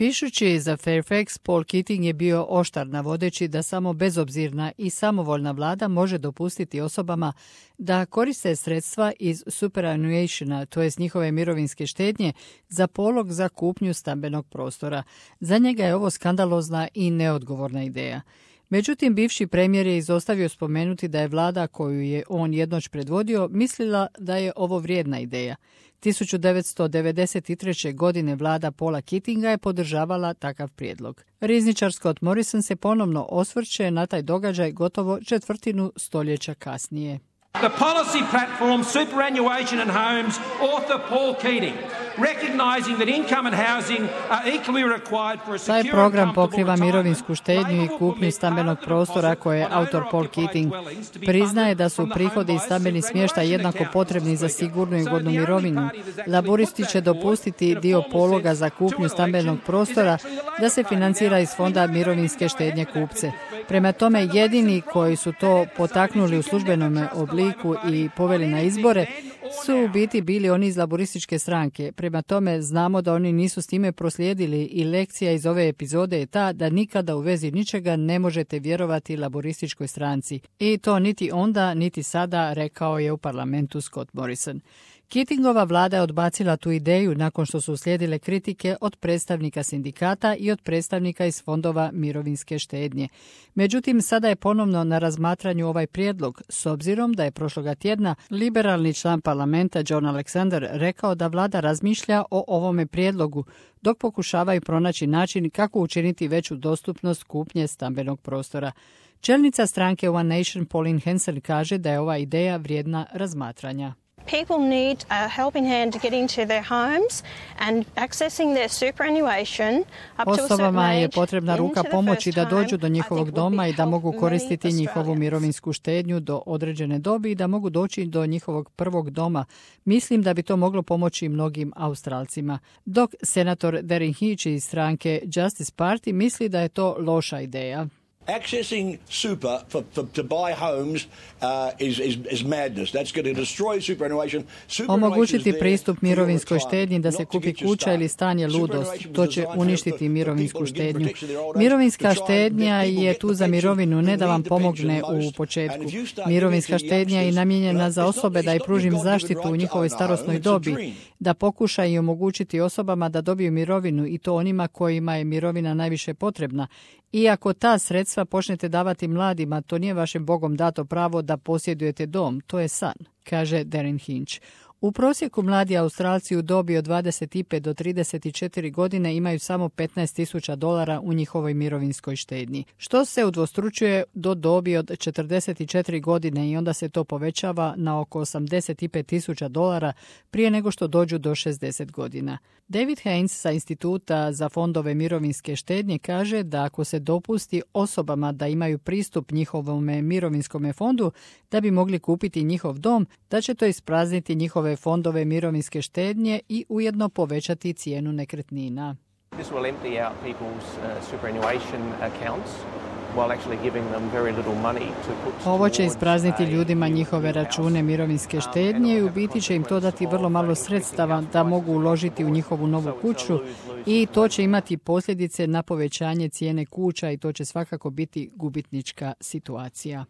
Pišući za Fairfax, Paul Keating je bio oštar navodeći da samo bezobzirna i samovoljna vlada može dopustiti osobama da koriste sredstva iz superannuationa, to jest njihove mirovinske štednje, za polog za kupnju stambenog prostora. Za njega je ovo skandalozna i neodgovorna ideja. Međutim, bivši premijer je izostavio spomenuti da je vlada koju je on jednoć predvodio mislila da je ovo vrijedna ideja. 1993. godine vlada Paula Keatinga je podržavala takav prijedlog. Rizničar Scott Morrison se ponovno osvrće na taj događaj gotovo četvrtinu stoljeća kasnije. The policy platform Superannuation and Homes, author Paul Keating, recognizing that income and housing are equally required for a secure and Taj program comfortable pokriva mirovinsku štednju i kupnju stambenog prostora koje je autor Paul Keating. Priznaje da su prihodi i stambeni smještaj jednako potrebni za sigurnu i godnu mirovinu. Laburisti će dopustiti dio pologa za kupnju stambenog prostora da se financira iz fonda mirovinske štednje kupce. Prema tome, jedini koji su to potaknuli u službenom obliku i poveli na izbore su u biti bili oni iz laborističke stranke. Prema tome, znamo da oni nisu s time proslijedili i lekcija iz ove epizode je ta da nikada u vezi ničega ne možete vjerovati laborističkoj stranci. I to niti onda, niti sada, rekao je u parlamentu Scott Morrison. Keatingova vlada je odbacila tu ideju nakon što su uslijedile kritike od predstavnika sindikata i od predstavnika iz fondova mirovinske štednje. Međutim, sada je ponovno na razmatranju ovaj prijedlog, s obzirom da je prošloga tjedna liberalni član parlamenta John Alexander rekao da vlada razmišlja o ovome prijedlogu, dok pokušavaju pronaći način kako učiniti veću dostupnost kupnje stambenog prostora. Čelnica stranke One Nation Pauline Hanson kaže da je ova ideja vrijedna razmatranja. People need a helping hand to get into their homes and accessing their superannuation up to a certain Osobama je age potrebna ruka into the pomoći first da home, dođu do I njihovog think will doma be i da mogu helpful koristiti many njihovu Australians. mirovinsku štednju do određene dobi i da mogu doći do njihovog prvog doma. Mislim da bi to moglo pomoći mnogim Australcima. Dok senator Darren Hitch iz stranke Justice Party misli da je to loša ideja. Accessing super to buy homes is madness. That's going to destroy superannuation. Omogućiti pristup mirovinskoj štednji da se kupi kuća ili stan je ludost. To će uništiti mirovinsku štednju. Mirovinska štednja je tu za mirovinu, ne da vam pomogne u početku. Mirovinska štednja je namijenjena za osobe da i pružim zaštitu u njihovoj starosnoj dobi, da pokuša i omogućiti osobama da dobiju mirovinu i to onima kojima je mirovina najviše potrebna. I ako ta sredstva počnete davati mladima, to nije vašem Bogom dato pravo da posjedujete dom, to je san, kaže Darren Hinch. U prosjeku mladi Australci u dobi od 25 do 34 godine imaju samo $15,000 u njihovoj mirovinskoj štednji, što se udvostručuje do dobi od 44 godine i onda se to povećava na oko $85,000 prije nego što dođu do 60 godina. David Haynes sa Instituta za fondove mirovinske štednje kaže da ako se dopusti osobama da imaju pristup njihovom mirovinskom fondu da bi mogli kupiti njihov dom, da će to isprazniti njihove fondove mirovinske štednje i ujedno povećati cijenu nekretnina. This will empty out people's superannuation accounts while actually giving them very little money to put. Ovo će isprazniti ljudima njihove račune mirovinske štednje i u biti će im to dati vrlo malo sredstava da mogu uložiti u njihovu novu kuću i to će imati posljedice na povećanje cijene kuća i to će svakako biti gubitnička situacija.